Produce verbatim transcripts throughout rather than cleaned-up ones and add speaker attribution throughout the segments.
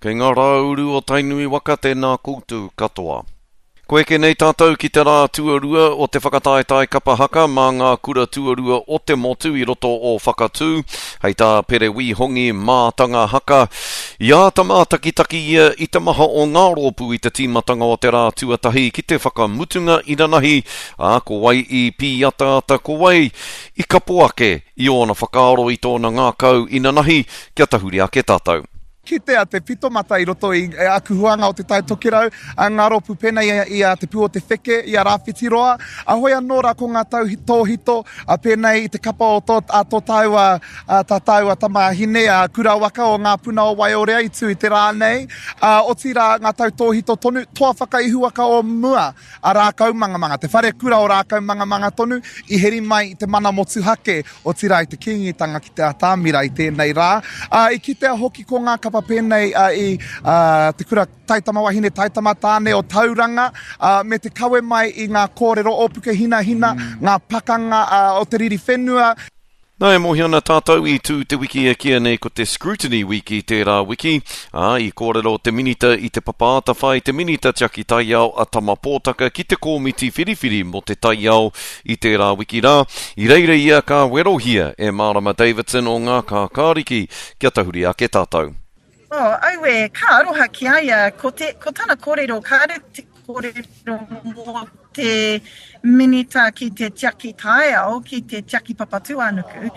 Speaker 1: Kei ngā rāuru o Tainui waka tēnā koutou katoa. Ko eke nei tātou ki te rā tuarua o te whakataetae kapa haka mā ngā kura tuarua o te motu i roto o Whakatū, hei tā Pere Wīhongi mātanga haka. I āta mātakitaki ia i te maha o ngā rōpū i te tīmatanga o te rā tuatahi ki te whakamutunga inanahi, ā, ko wai i pīataata, ko wai i kapo ake i ōna whakaaro i tōna ngākau inanahi, kia tahuri ake tātou.
Speaker 2: Kitea te pitomata i roto i aku huanga o Te Tai Tokerau, a ngā rōpū pēnei i a Te Pū o Te Wheke, i a Rāwhitiroa, a hoi anō rā ko ngā tauhitohito, a pēnei i te kapa o tō, a tō tāua, a tā tāua tamāhine, a Kurawaka o Ngā Puna o Waiorea i tū i te rā nei, a, otirā ngā tautōhito tonu, toa whakaihuwaka o mua, a Rākaumangamanga, te wharekura o Rākaumangamanga tonu, i heri mai i te mana motuhake, otirā i te Kīngitanga ki te atamira i tēnei rā. Ā, i kitea hoki ko ngā kapa pēnei i te kura taitama wahine, taitama tāne o Tauranga, ā, me te kawe mai i ngā kōrero o Pukehinahina, ngā pakanga o te riri whenua.
Speaker 1: Nā, e mōhio ana tātou i tū te wiki e kīia nei ko te Scrutiny Week i tērā wiki, ā, i kōrero te Minita i Te Papa Atawhai, te Minita Tiaki Taiao a Tama Pōtaka ki te Kōmiti Whiriwhiri mō te Taiao i tērā wiki rā. I reira ia ka werohia e Mārama Davidson o Ngā Kākāriki kia tahuri ake tātou.
Speaker 3: Oh, aue, ka aroha ki a ia, ko, te, ko tana kōrero, kāre te kōrero mō te minita ki te tiaki taiao, ki te tiaki Papatūānuku,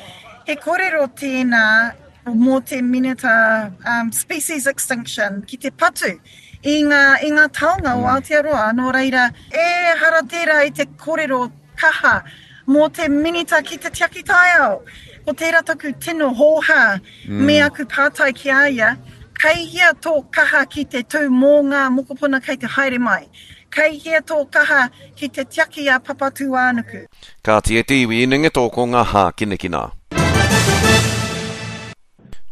Speaker 3: he kōrero tēnā mō te minita um, species extinction, ki te patu i ngā, i ngā taonga o Aotearoa. Nō reira, ehara tērā i te kōrero kaha mō te minita ki te tiaki taiao. Ko tērā taku tino hōhā mm. me aku pātai ki a ia, kei hea tō kaha ki te tū mō ngā mokopuna kei te haere mai? Kei hea tō kaha ki te tiaki a Papatūānuku?
Speaker 1: Kāti e te iwi inenge tō ko ngā hākinakina.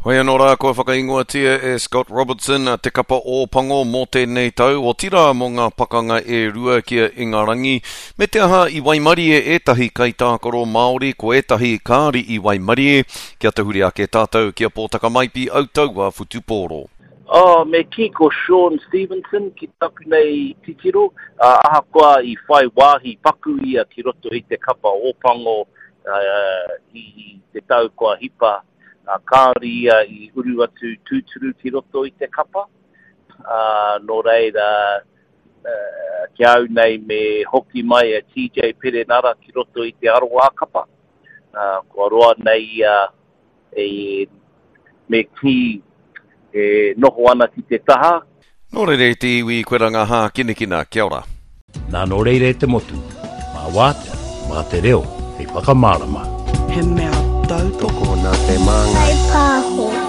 Speaker 1: Hoi anō rā kua whakaingoatia e Scott Robertson te kapa Ōpango mō tēnei tau, otirā mō ngā pakanga e rua ki a Ingarangi, me te aha i waimarie ētahi kaitākaro Māori, ko ētahi kāri i waimarie, kia tahuri ake tātou ki a Pōtaka Maipi Autaua Whutupōro.
Speaker 4: Oh, me kī ko Shaun Stevenson ki taku nei titiro, uh, ahakoa i whai wāhi paku ia ki roto i te kapa Ōpango uh, i te tau kua hipa, uh, kāore ia i uru atu tūturu ki roto i te kapa. Uh, nō reira, uh, ki au nei me hoki mai a T J Perenara ki roto i te aroā kapa. Uh, kua roa nei ia e, me kī e noho ana ki te taha.
Speaker 1: Nō reira e te iwi, koe rā ngā hākinakina. Kia ora.
Speaker 5: Nā nō reira e te motu, mā wātea, mā te reo, hei whakamārama.
Speaker 6: He mea tautoko
Speaker 7: nā te māngai.
Speaker 8: Kai pāho.